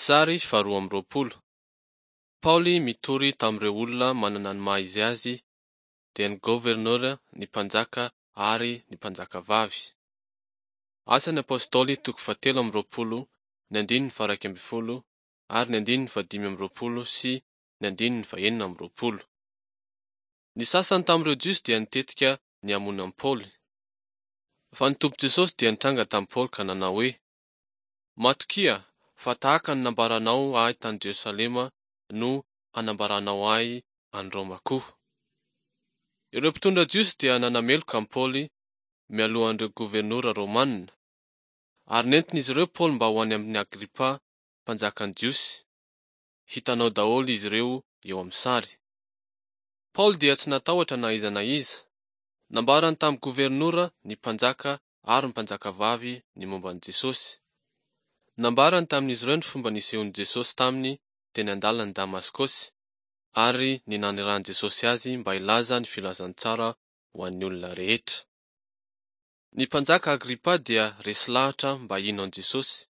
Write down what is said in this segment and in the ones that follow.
Sary faharoa amby roapolo. Paoly mitory tamin'ireo olona manana ny maha izy azy, dia ny governora, ny mpanjaka ary ny mpanjakavavy. Asan'ny Apostoly toko fahatelo amby roapolo, ny andininy faha-iraika ambin'ny folo ary ny andininy fahadimy amby roapolo sy ny andininy fahenina amby roapolo. Ny sasany tamin'ireo Jiosy dia nitetika ny hamono an'i Paoly. Fa ny Tompo Jesosy dia nitranga tamin'i Paoly ka nanao hoe, Matokia fa tahaka ny nambaranao ahy tany Jerosalema no hanambaranao ahy any Roma koa. Ireo mpitondra jiosy dia nanameloka an'i Paoly mialohan'ireo governora romanina, ary nentin'izy ireo Paoly mba ho any amin'i Agripa, mpanjakan'ny Jiosy. Hitanao daholo izy ireo eo amin'ny sary. Paoly dia tsy natahotra na iza na iza. Nambarany tamin'ny governora, ny mpanjaka ary ny mpanjakavavy ny momba an'i Jesosy. Nambarany tamin'izy ireo ny fomba nisehoan'i Jesosy taminy teny an-dalan'i Damaskosy, ary ny nanirahan'i Jesosy azy mba hilaza ny filazantsara ho an'ny olona rehetra. Ny mpanjaka Agripa dia resy lahatra mba hino an'i Jesosy.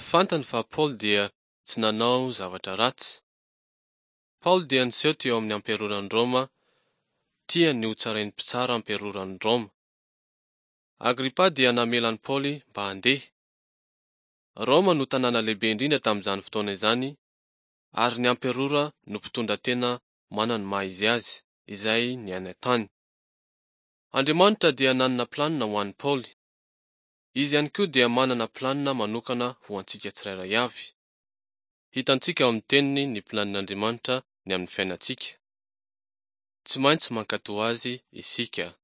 Fantany fa Paoly dia tsy nanao zavatra ratsy. Paoly dia niseho teo amin'ny amperoran'i Roma, tia ny hotsarain'ny mpitsara amperoran'i Roma. Agripa dia namela an'i Paoly mba handeha. Roma no tanàna lehibe indrindra tamin'izany fotoana izany, ary ny amperora no mpitondra tena manana ny maha izy azy, izay niaina tany. Andriamanitra dia nanana planina ho an'i Paoly. Izy ihany koa dia manana planina manokana ho antsika tsirairay avy. Hitantsika ao amin'ny Teniny ny planin'Andriamanitra ny amin'ny fiainantsika. Tsy maintsy mankatò Azy isika.